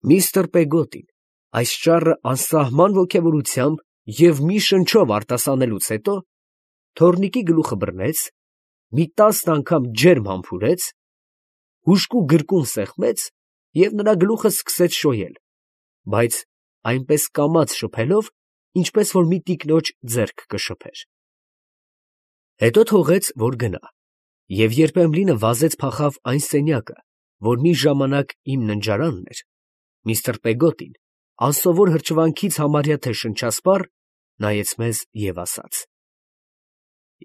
Միստր Պեգոտին այս ճառը անսահման ոգևորությամբ և մի շնչով արտասանելուց հետո թոռնիկի գլուխը բռնեց, մի 10 անգամ ջերմ համբուրեց, հուժկու գրկում սեղմեց և նրա գլուխը սկսեց շոյել, բայց այնպես կամաց շփելով, ինչպես որ մի տիկնոջ ձեռք կշփեր. Հետո թողեց, որ գնա, և երբ Էմլինը վազեց փախավ այն սենյակը, որ մի ժամանակ իմ ննջարանն էր, միստր Պեգոտին, անսովոր հրճվանքից համարյա թե շնչասպառ, նայեց մեզ և ասաց.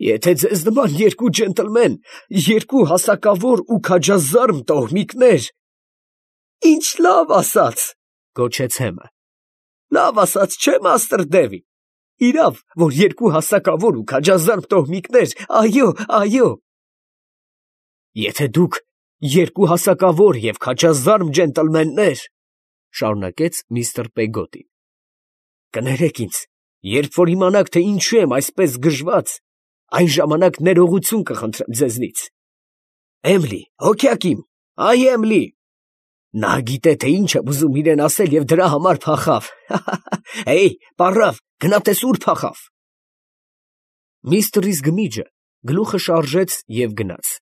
«Եթե ձեզ նման երկու ջենտլմեն, երկու հասակավոր ու քաջազարմ տոհմիկներ…» «Ինչ լավ ասաց, ֊ գոչեց Հեմը, ֊ լավ ասաց, չէ՞, մաստր Դևիդ, իրավ, որ երկու հասակավոր ու քաջազարմ տոհմիկներ, այո, այո»։ «Եթե դուք երկու հասակավոր և քաջազարմ ջենտլմեններ, ֊ շարունակեց միստր Պեգոտին, ֊ կներեք ինձ, երբ որ իմանաք, թե ինչու եմ այսպես գժված, այն ժամանակ ներողություն կխնդրեմ ձեզնից… Էմլի, հոգյակ իմ, այ Էմլի… Նա գիտե, թե ինչ եմ ուզում իրան ասել և դրա համար փախավ… Հեյ, պառավ, գնա տես ուր փախավ… Միստր Իզգմիջը գլուխը շարժեց և գնաց…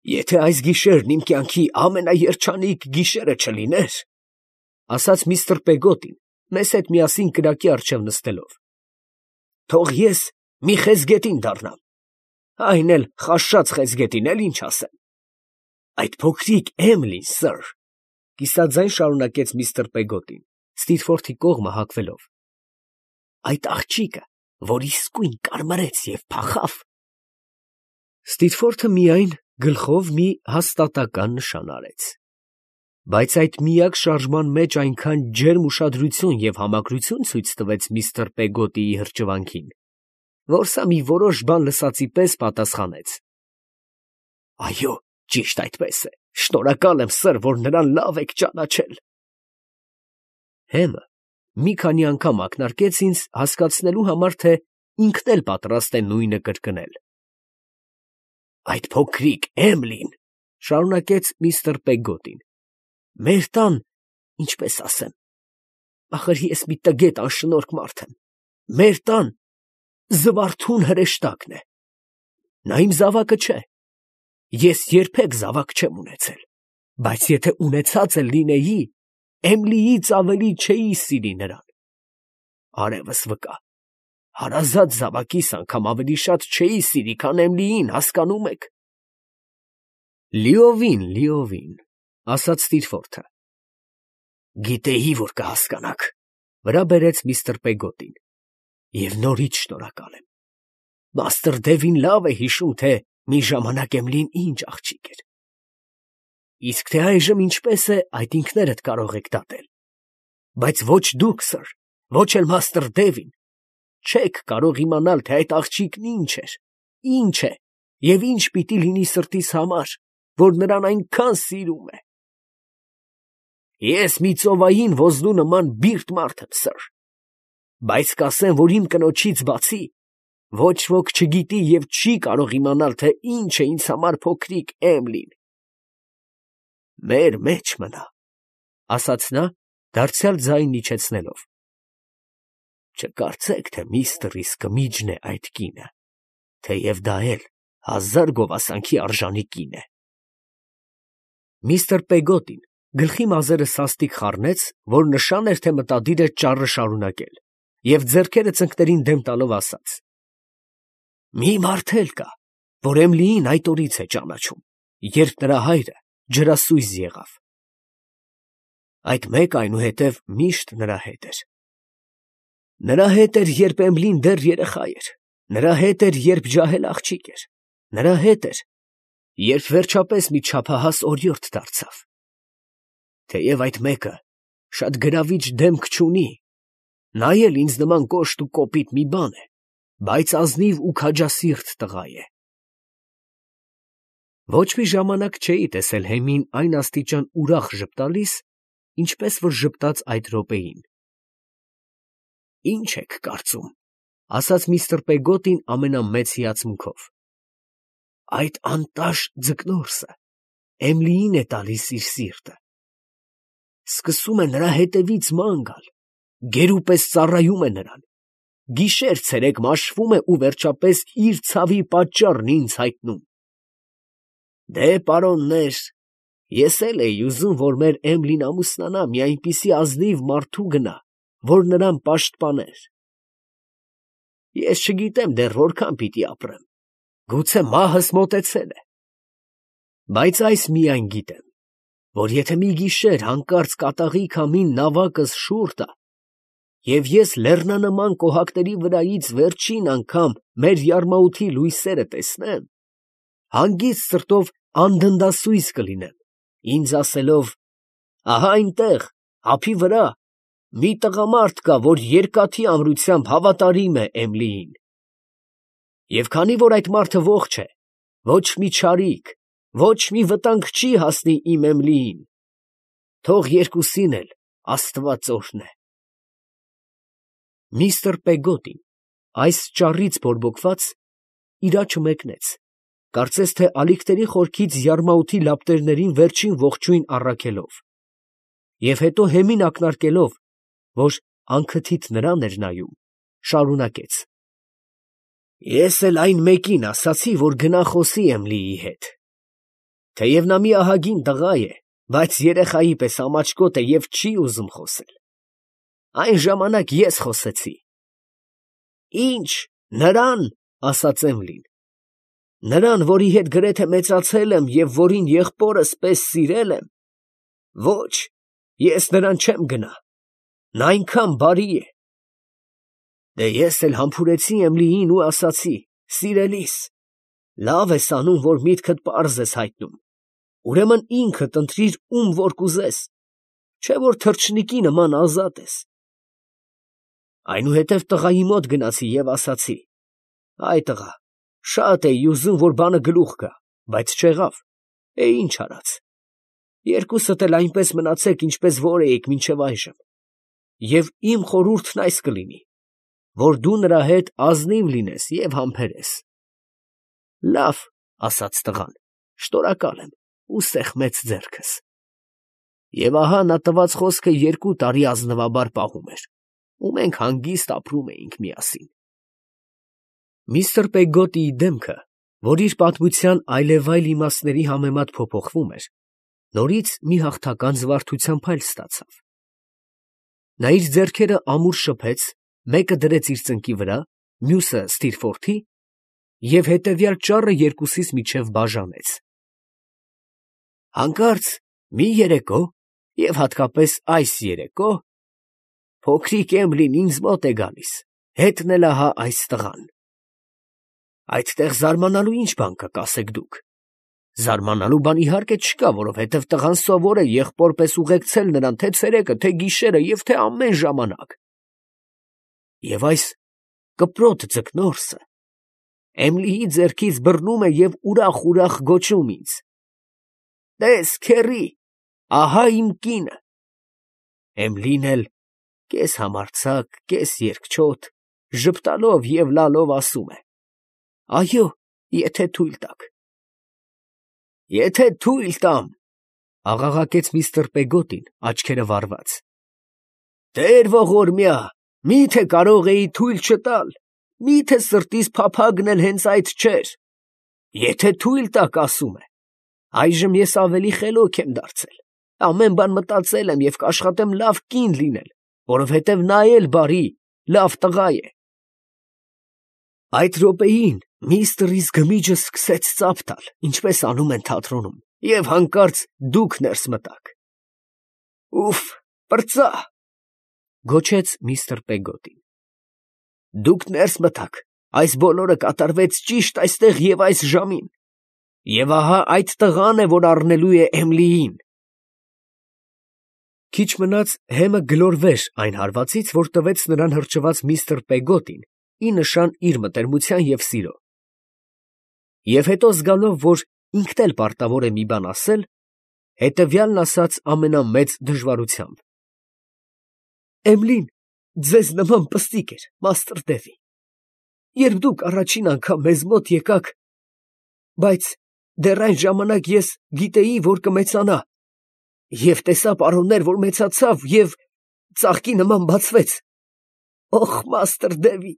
«Եթե այս գիշերն իմ կյանքի ամենաերջանիկ գիշերը չլիներ, ֊ ասաց միստր Պեգոտին, մեզ հետ միասին կրակի առջև նստելով, ֊ թող ես մի խեցգետին դառնամ, այն էլ խաշած խեցգետին, էլ ինչ ասեմ… Այդ փոքրիկ Էմլին, սըր, ֊ կիսաձայն շարունակեց միստր Պեգոտին, Ստիթֆորդի կողմը հակվելով, ֊ այդ աղջիկը, որ իսկույն կարմրեց և փախավ… Ստիթֆորդը միայն գլխով մի հաստատակամ նշան արեց, բայց այդ միակ շարժման մեջ այնքան ջերմ ուշադրություն և համակրություն ցույց տվեց միստր Պեգոտիի հրճվանքին, որ սա մի որոշ բան լսածի պես պատասխանեց. «Այո, ճիշտ այդպես է, շնորհակալ եմ, սըր, որ նրան լավ եք ճանաչել»։ Հեմը մի քանի անգամ ակնարկեց ինձ հասկացնելու համար, թե ինքն էլ պատրաստ է նույնը կրկնել։ «Այդ փոքրիկ Էմլին, ֊ շարունակեց միստր Պեգոտին, ֊ մեր տան, ինչպես ասեմ, ախր ես մի տգետ անշնորհք մարդ եմ, մեր տան զվարթուն հրեշտակն է… Նա իմ զավակը չէ, ես երբեք զավակ չեմ ունեցել, բայց եթե ունեցած էլ լինեի, Էմլիից ավելի չէի սիրի նրան… Արևս վկա, հարազատ զավակիս անգամ ավելի շատ չէի սիրի, քան Էմլիին, հասկանում եք… Լիովին, լիովին, ֊ ասաց Ստիթֆորդը։ ֊ Գիտեի, որ կհասկանաք, ֊ վրա բերեց միստր Պեգոտին, ֊ և նորից շնորհակալ եմ… Մաստր Դևին լավ է հիշում, թե մի ժամանակ Էմլին ինչ աղջիկ էր… Իսկ թե այժմ ինչպես է, այդ ինքներդ կարող եք դատել… Բայց ոչ դուք, սըր, ոչ էլ մաստր Դևին չեք կարող իմանալ, թե այդ աղջիկն ինչ էր, ինչ է և ինչ պիտի լինի սրտիս համար, որ նրան այնքան սիրում է… Ես մի ծովային ոզնու նման բիրտ մարդ եմ, սըր, բայց կասեմ, որ իմ կնոջից բացի ոչ ոք չգիտի և չի կարող իմանալ, թե ինչ է ինձ համար փոքրիկ Էմլին… Մեր մեջ մնա, ֊ ասաց նա, դարձյալ ձայնն իջեցնելով, ֊ չկարծեք, թե միստր Իսկմիջն է այդ կինը, թեև դա էլ հազար գովասանքի արժանի կին է… Միստր Պեգոտին գլխի մազերը սաստիկ խառնեց, որ նշան էր, թե մտադիր է ճառը շարունակել, և ձեռքերը ծնկներին դեմ տալով ասաց. «Մի մարդ էլ կա, որ Էմլիին այդ օրից է ճանաչում, երբ նրա հայրը ջրասույզ եղավ… Այդ մեկը այնուհետև միշտ նրա հետ էր… Նրա հետ էր, երբ Էմլին դեռ երեխա էր, նրա հետ էր, երբ ջահել աղջիկ էր, նրա հետ էր, երբ վերջապես մի չափահաս օրիորդ դարձավ… Թեև այդ մեկը շատ գրավիչ դեմք չունի, նա էլ ինձ նման կոշտ ու կոպիտ մի բան է, բայց ազնիվ ու քաջասիրտ տղա է… Ոչ մի ժամանակ չէի տեսել Հեմին այն աստիճան ուրախ ժպտալիս, ինչպես որ ժպտաց այդ րոպեին… Ի՞նչ եք կարծում, ֊ ասաց միստր Պեգոտին ամենամեծ հիացմունքով, ֊ այդ անտաշ ձկնորսը Էմլիին է տալիս իր սիրտը… սկսում է նրա հետևից ման գալ, գերուպես ծառայում է նրան, գիշեր-ցերեկ մաշվում է ու վերջապես իր ցավի պատճառն ինձ հայտնում։ Դե, պարոններ, ես էլ էի ուզում, որ մեր Էմլին ամուսնանա մի այնպիսի ազնիվ մարդու գնա, որ նրան պաշտպաներ։ Ես չգիտեմ դեռ որքան պիտի ապրեմ, գուցե մահս մոտեցել է, բայց այս միայն գիտեմ, որ եթե մի գիշեր հանկարծ կատաղի քամին նավակս շուռ տա, և ես լեռնանման կոհակների վրայից վերջին անգամ մեր յարմաութի լույսերը տեսնեմ, հանգիստ սրտով անդնդասույզ կլինեմ, ինձ ասելով. ահա այնտեղ, ափի վրա, մի տղամարդ կա, որ երկաթի ամրությամբ հավատարիմ է Էմլիին։ Եվ քանի որ այդ մարդը ողջ է, ոչ մի չարիք, ոչ մի վտանգ չի հասնի իմ Էմլիին, թող երկուսին էլ Աստված օրհնե։ Միստր Պեգոտին, այս ճառից բորբոքված, իր աչքը մեկնեց, կարծես թե ալիքների խորքից յարմաութի լապտերներին վերջին ողջույն առաքելով, և հետո հեմին ակնարկելով, որ անքթիթ նրան էր նայում, շարունակեց. Ես էլ այն մեկին ասացի, որ գնա խոսի Էմլիի հետ, թեև նա մի ահագին տղա է, բայց երեխայի պես ամաչկոտ է և չի ուզում խոսել։ Այն ժամանակ ես խոսեցի։ Ինչ, նրան, ասաց Էմլին, նրան, որի հետ գրեթե մեծացել եմ և որին եղբորս պես սիրել եմ, ոչ, ես նրան չեմ գնա, նա այնքան բարի է։ Դե ես էլ համբուրեցի Էմլիին ու ասացի. սիրելիս, լավ ես անում, որ միտքդ պարզ ես հայտնում, ուրեմն ինքդ ընտրիր ում որ կուզես, չէ որ թռչնիկի նման ազատ ես։ Այնուհետև տղայի մոտ գնացի և ասացի. այ տղա, շատ էի ուզում, որ բանը գլուխ գա, բայց չեղավ, ինչ արած։ Երկուսդ էլ այնպես մնացեք, ինչպես որ էիք մինչև այժմ, և իմ խորհուրդն այս կլինի, որ դու նրա հետ ազնիվ լինես և համբերես։ Լավ, ասաց տղան, շնորհակալ եմ, ու սեղմեց ձեռքս։ Եվ ահա նա տված խոսքը 2 տարի ազնվաբար պահում էր, ու մենք հանգիստ ապրում էինք միասին։ Միստր Պեգոտիի դեմքը, որ իր պատմության այլևայլ իմաստների համեմատ փոփոխվում էր, նորից մի հաղթական զվարթության փայլ ստացավ։ Նա իր ձեռքերը ամուր շփեց, մեկը դրեց իր ծնկի վրա, մյուսը Ստիրֆորդի, և հետևյալ ճառը երկուսիս միջև բաժանեց. հանկարծ մի երեկո, և հատկապես այս երեկո, փոքրիկ Էմլին ինձ մոտ է գալիս, հետն էլ ահա այս տղան։ Այդտեղ զարմանալու ինչ բան կա, կասեք դուք։ Զարմանալու բան իհարկե չկա, որովհետև տղան սովոր է եղբոր պես ուղեկցել նրան թե ցերեկը, թե գիշերը և թե ամեն ժամանակ։ Եվ այս կպրոտ ձկնորսը Էմլիի ձեռքից բռնում է և ուրախ գոչում ինձ. տես, քեռի, ահա իմ կինը։ Էմլին էլ կես համարձակ, կես երկչոտ, ժպտալով և լալով ասում է. այո, եթե թույլ տաք։ Եթե թույլ տամ, աղաղակեց միստր Պեգոտին, աչքերը վառված։ Տեր ողորմյա, միթե կարող էի թույլ չտալ, միթե սրտիս փափագն էլ հենց այդ չէր։ Եթե թույլ տաք, ասում է, այժմ ես ավելի խելոք եմ դարձել, ամեն բան մտածել եմ և կաշխատեմ լավ կին լինել, որովհետև նա էլ բարի, լավ տղա է։ Այդ րոպեին միստր Իզգմիջը սկսեց ծափ տալ, ինչպես անում են թատրոնում, և հանկարծ դուք ներս մտաք։ Ուֆ, պրծա, գոչեց միստր Պեգոտին։ Դուք ներս մտաք, այս բոլորը կատարվեց ճիշտ այստեղ և այս ժամին, և ահա այդ տղան է, որ առնելու է Էմլիին։ Քիչ մնաց հեմը գլորվեր այն հարվածից, որ տվեց նրան հրճված միստր Պեգոտին, ի նշան իր մտերմության և սիրո։ Եվ հետո զգալով, որ ինքն էլ պարտավոր է մի բան ասել, հետևյալն ասաց ամենամեծ դժվարությամբ. Էմլին ձեզ նման պստիկ էր, մաստր Դևի, երբ դուք առաջին անգամ մեզ մոտ եկաք, բայց դեռ այն ժամանակ ես գիտեի, որ կմեծանա, Եվ տեսա պարոններ, որ մեծացավ և ծաղկի նման բացվեց։ Օխ, մաստր Դևի,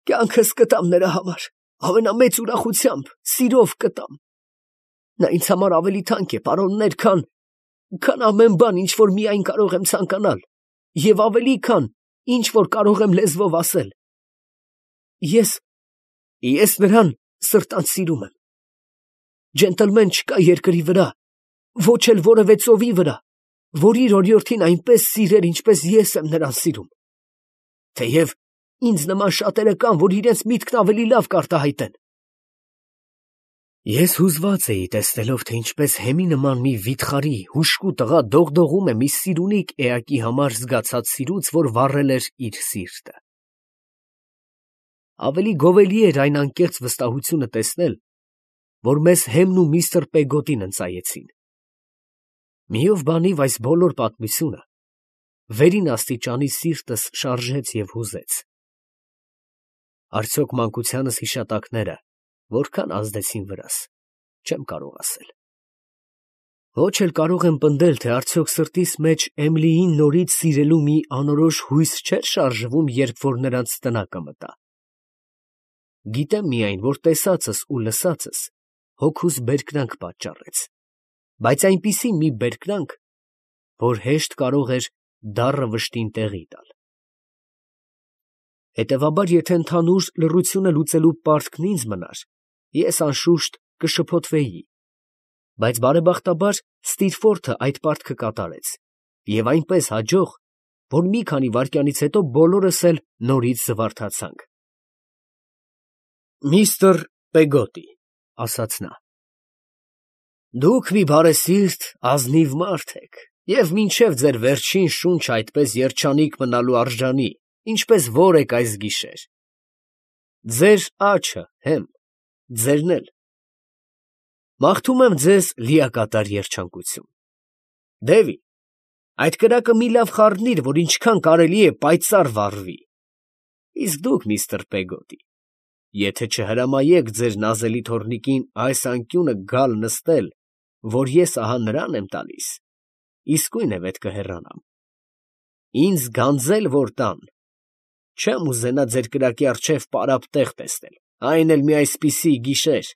կյանքս կտամ նրա համար, ամենամեծ ուրախությամբ, սիրով կտամ։ Նա ինձ համար ավելի թանկ է, պարոններ, քան ամեն բան, ինչ որ միայն կարող եմ ցանկանալ, և ավելի, քան ինչ որ կարող եմ լեզվով ասել։ Ես նրան սրտանց սիրում եմ։ Ջենտլմեն չկա երկրի վրա, ոչ էլ որևէ ծովի վրա, որ իր օրիորդին այնպես սիրեր, ինչպես ես եմ նրան սիրում։ Թեև ինձ նման շատերը կան, որ իրենց միտքն ավելի լավ կարտահայտեն։ Ես հուզված էի տեսնելով, թե ինչպես հեմի նման մի վիթխարի հուժկու տղա դողդողում է մի սիրունիկ էակի համար զգացած սիրուց, որ վառել էր իր սիրտը։ Ավելի գովելի էր այն անկեղծ վստահությունը տեսնել, որ մեզ Հեմն ու միստր Պեգոտին ընծայեցին։ Միով բանիվ այս բոլոր պատմությունը վերին աստիճանի սիրտս շարժեց և հուզեց։ Արդյոք մանկությանս հիշատակները որքան ազդեցին վրաս, չեմ կարող ասել։ Ոչ էլ կարող եմ պնդել, թե արդյոք սրտիս մեջ Էմիլիին նորից սիրելու մի անորոշ հույս չէր շարժվում, երբ որ նրանց տնակը մտա։ Գիտեմ միայն, որ տեսածս ու լսածս հոգուս բերկրանք պատճառեց, բայց այնպիսի մի բերկրանք, որ հեշտ կարող էր դառը վշտին տեղի տալ։ Հետևաբար, եթե ընդհանուր լռությունը լուծելու պարտքն ինձ մնար, ես անշուշտ կշփոթվեի, բայց բարեբախտաբար Ստիրֆորթը այդ պարտքը կատարեց, և այնպես հաջող, որ մի քանի վայրկյանից հետո բոլորս էլ նորից զվարթացանք։ Միստր Պեգոտի, ասաց նա, դուք մի բարեսիրտ, ազնիվ մարդ եք, և մինչև ձեր վերջին շունչը այդպես երջանիկ մնալու արժանի, ինչպես որ եք այս գիշեր։ Ձեր աչը, Հեմ, ձերն էլ։ Մաղթում եմ ձեզ լիակատար երջանկություն։ Դևի, այդ կրակը մի լավ խառնիր, որ ինչքան կարելի է պայծառ վառվի։ Իսկ դուք, միստր Պեգոտի, եթե չհրամայեք ձեր նազելի թոռնիկին այս անկյունը գալ նստել, որ ես ահա նրան եմ տալիս, իսկույն է պետք է հեռանամ։ Ինձ գանձել որ տան, չեմ ուզենա ձեր կրակի առջև պարապ տեղ տեսնել, այն էլ մի այսպիսի գիշեր։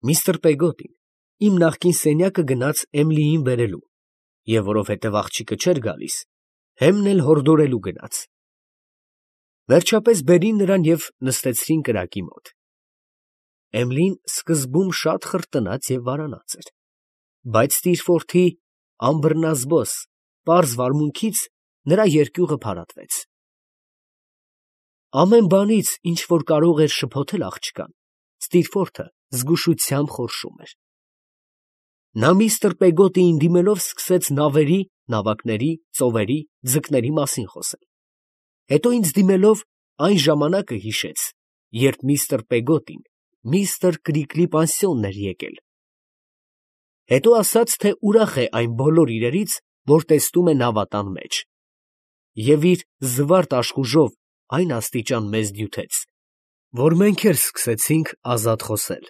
Միստր Պեգոտին իմ նախկին սենյակը գնաց Էմիլիին բերելու, և որովհետև աղջիկը չէր գալիս, Հեմն էլ հորդորելու գնաց։ Վերջապես բերին նրան և նստեցրին կրակի մոտ։ Էմիլին սկզբում շատ խրտնած և վարանած էր, բայց Ստիրֆորթի անբռնազբոս, պարզ վարմունքից նրա երկյուղը փարատվեց։ Ամեն բանից, ինչ որ կարող էր շփոթել աղջկան, Ստիրֆորթը զգուշությամբ խորշում էր։ Նա միստր Պեգոտիին դիմելով սկսեց նավերի, նավակների, ծովերի, ձկների մասին խոսել։ Հետո ինձ դիմելով այն ժամանակը հիշեց, երբ միստր Պեգոտին միստր Կրիկլի պանսիոնն էր եկել։ Հետո ասաց, թե ուրախ է այն բոլոր իրերից, որ տեսնում է նավատան մեջ, և իր զվարթ աշխուժով այն աստիճան մեզ դյութեց, որ մենք էլ սկսեցինք ազատ խոսել։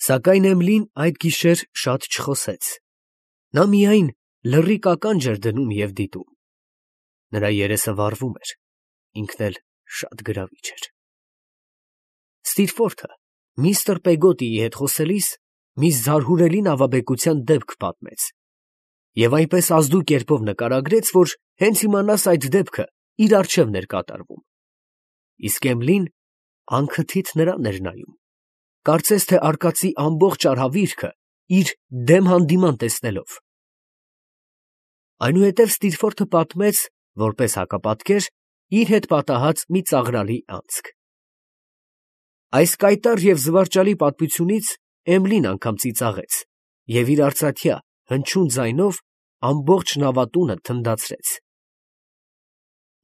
Սակայն Էմիլին այդ գիշեր շատ չխոսեց, նա միայն լռիկ ականջ էր դնում և դիտում։ Նրա երեսը վառվում էր, ինքն էլ շատ գրավիչ էր։ Ստիրֆորթը միստր Պեգոտիի հետ խոսելիս մի զարհուրելի նավաբեկության դեպք պատմեց և այնպես ազդու կերպով նկարագրեց, որ հենց իմանաս այդ դեպքը իր առջևն էր կատարվում։ Իսկ Էմիլին անքթիթ նրան էր նայում, կարծես թե արկածի ամբողջ արհավիրքը իր դեմ հանդիման տեսնելով։ Այնուհետև Ստիրֆորթը պատմեց, որպես հակապատկեր, իր հետ պատահած մի ծաղրալի անցք։ Այս կայտառ և զվարճալի պատմությունից Էմիլին անգամ ծիծաղեց և իր արծաթյա, հնչյուն ձայնով ամբողջ նավատունը թնդացրեց։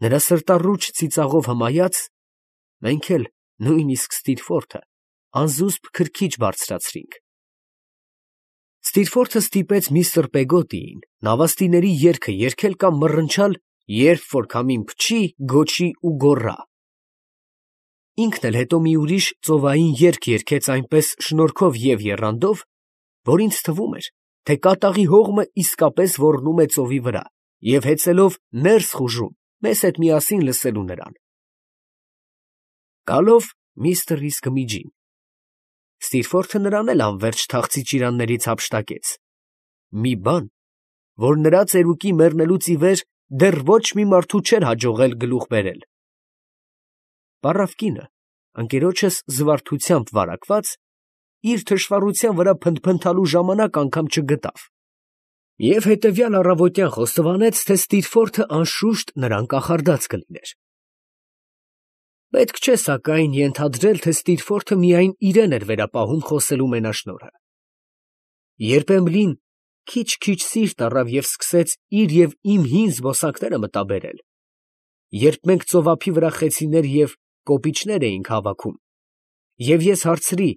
Նրա սրտառուչ ծիծաղով հմայած, մենք էլ, նույնիսկ Ստիրֆորթը, անզուսպ քրքիջ բարձրացրինք։ Ստիրֆորթը ստիպեց միստր Պեգոտիին նավաստիների երգը երգել կամ մռնչալ, երբ որ քամին փչի, գոչի ու գոռա։ Ինքն էլ հետո մի ուրիշ ծովային երգ երգեց այնպես շնորհքով և եռանդով, որ ինձ թվում էր, թե կատաղի հողմը իսկապես ոռնում է ծովի վրա և հեծելով ներս խուժում, մեզ հետ միասին լսելու նրան։ Գալով միստր Իսկմիջին, Ստիրֆորդը նրան էլ անվերջ թախծի ճիրաններից հափշտակեց։ Մի բան, որ նրա ծերուկի մեռնելուց ի վեր դեռ ոչ մի մարդու չէր հաջողել գլուխ բերել։ Պառավ կինը, ընկերոջս զվարթությամբ վարակված, իր թշվառության վրա փնթփնթալու ժամանակ անգամ չգտավ և հետևյալ առավոտյան խոստովանեց, թե Ստիրֆորդը անշուշտ նրան կախարդած կլիներ։ Պետք չէ, սակայն, ենթադրել, թե Ստիրֆորդը միայն իրեն էր վերապահում խոսելու մենաշնորհը։ Երբ Էմլին քիչ-քիչ սիրտ առավ և սկսեց իր և իմ հին զբոսանքները մտաբերել, երբ մենք ծովափի վրա խեցիներ և կոպիճներ էինք հավաքում, և ես հարցրի,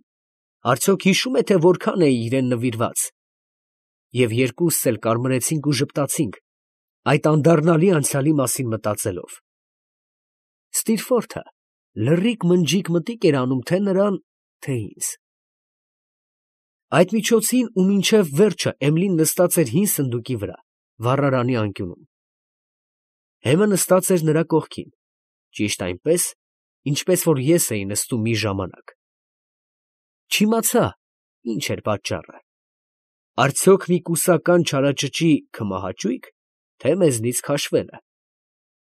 արդյոք հիշում է, թե որքան էի իրան նվիրված, և երկուսս էլ կարմրեցինք ու ժպտացինք, այդ անդառնալի անցյալի մասին մտածելով, Ստիրֆորդը լռիկ֊մնջիկ մտիկ էր անում թե նրան, թե ինձ։ Այդ միջոցին ու մինչև վերջը Էմլին նստած էր հին սնդուկի վրա, վառարանի անկյունում։ Հեմը նստած էր նրա կողքին, ճիշտ այնպես, ինչպես որ ես էի նստում մի ժամանակ։ Չիմացա, ինչ էր պատճառը. արդյոք մի կուսական չարաճճի քմահաճույք, թե մեզնից քաշվելը,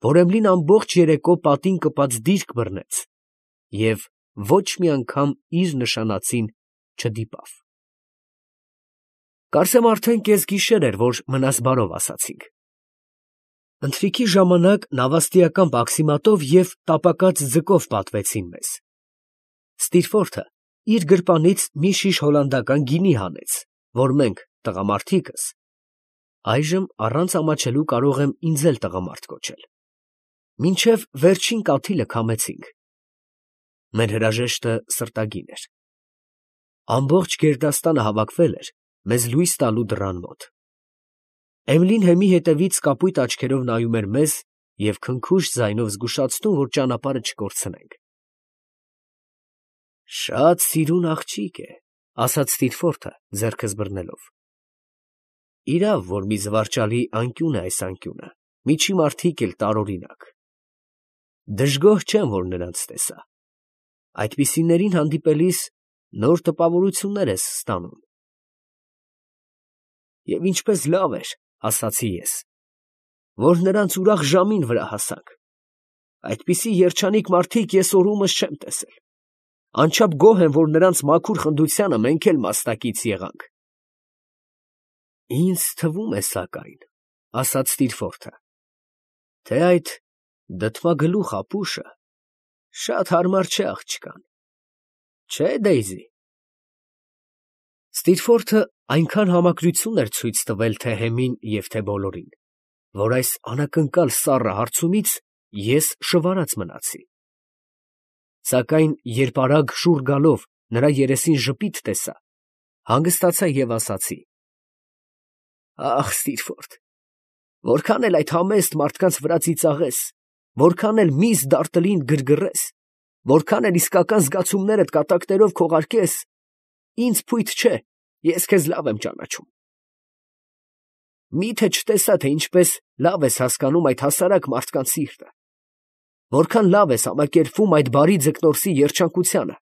որ Էմլին ամբողջ երեկո պատին կպած դիրք բռնեց և ոչ մի անգամ իր նշանածին չդիպավ։ Կարծեմ արդեն կեսգիշեր էր, որ մնաս բարով ասացինք։ Ընթրիքի ժամանակ նավաստիական բաքսիմատով և տապակած ձկով պատվեցին մեզ։ Ստիրֆորդը իր գրպանից մի շիշ հոլանդական գինի հանեց, որ մենք, տղամարդիկս, այժմ առանց ամաչելու կարող եմ ինձ էլ տղամարդ կոչել, մինչև վերջին կաթիլը քամեցինք։ Մեր հրաժեշտը սրտագին էր։ Ամբողջ գերդաստանը հավաքվել էր մեզ լույս տալու դռան մոտ։ Էմլին հեմի հետևից կապույտ աչքերով նայում էր մեզ և քնքուշ ձայնով զգուշացնում, որ ճանապարհը չկորցնենք։ «Շատ սիրուն աղջիկ է», ֊ ասաց Ստիրֆորդը, ձեռքս բռնելով։ Իրավ, որ մի զվարճալի անկյուն է այս անկյունը, միջի մարդիկ էլ տարօրինակ։ Դժգոհ չեմ, որ նրանց տեսա։ Այդպիսիներին հանդիպելիս նոր տպավորություններ ես ստանում։ Եվ ինչպես լավ էր, ասացի ես, որ նրանց ուրախ ժամին վրա հասանք։ Այդպիսի երջանիկ մարդիկ ես օրումս չեմ տեսել։ Անչափ գոհ եմ, որ նրանց մաքուր խնդությանը մենք էլ մասնակից եղանք։ Ինձ թվում է, սակայն, ասաց Ստիրֆորդը, թե այդ դդմագլուխ ապուշը շատ հարմար չէ աղջկան, չէ, Դեյզի։ Ստիրֆորդը այնքան համակրություն էր ցույց տվել թե Հեմին և թե բոլորին, որ այս անակնկալ սառը հարցումից ես շվարած մնացի։ Սակայն երբ արագ շուռ գալով նրա երեսին ժպիտ տեսա, հանգստացա և ասացի. «Ախ, Ստիրֆորդ, որքան էլ այդ համեստ մարդկանց վրա ծիծաղես, որքան էլ միս դարտլին գրգռես, որքան էլ իսկական զգացումներդ կատակներով քողարկես, ինձ փույթ չէ, ես քեզ լավ եմ ճանաչում։ Մի՞թե չտեսա, թե ինչպես լավ ես հասկանում այդ հասարակ մարդկանց սիրտը, որքան լավ ես համակերպվում այդ բարի ձկնորսի երջանկությանը,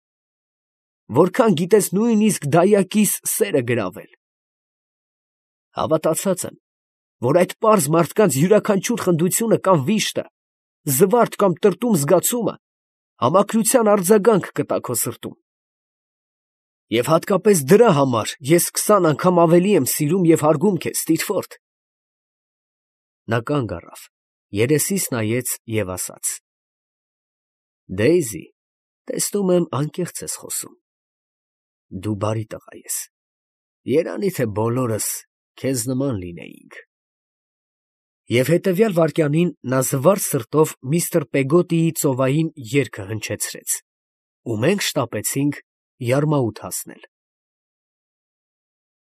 որքան գիտես նույնիսկ դայակիս սերը գրավել։ Հավատացած եմ, որ այդ պարզ մարդկանց յուրաքանչյուր խնդությունը կամ վիշտը, զվարթ կամ տրտում զգացումը համակրության արձագանք կտա քո սրտում։ Եվ հատկապես դրա համար ես 20 անգամ ավելի եմ սիրում և հարգում քեզ, Ստիրֆորդ»։ Նա կանգ առավ, երեսիս նայեց և ասաց. «Դեյզի, տեսնում եմ անկեղծ ես խոսում։ Դու բարի տղա ես, երանի թե բոլորս քեզ նման լինեինք»։ Եվ հետևյալ վայրկյանին նա զվարթ սրտով միստր Պեգոտիի ծովային երգը հնչեցրեց, ու մենք շտապեցինք Յարմաութ հասնել։